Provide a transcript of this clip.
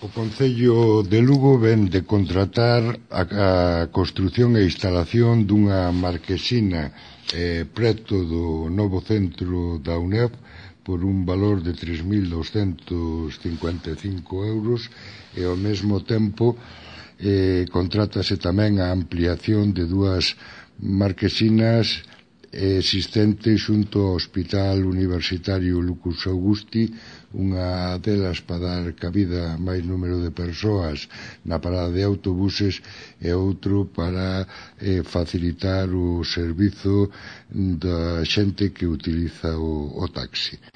O Concello de Lugo vén de contratar a construción e instalación dunha marquesina preto do novo centro da UNED por un valor de 3.255 euros e ao mesmo tempo contrátase tamén a ampliación de dúas marquesinas existentes xunto ao Hospital Universitario Lucus Augusti, unha delas para dar cabida a máis número de persoas na parada de autobuses e outro para facilitar o servizo da xente que utiliza o taxi.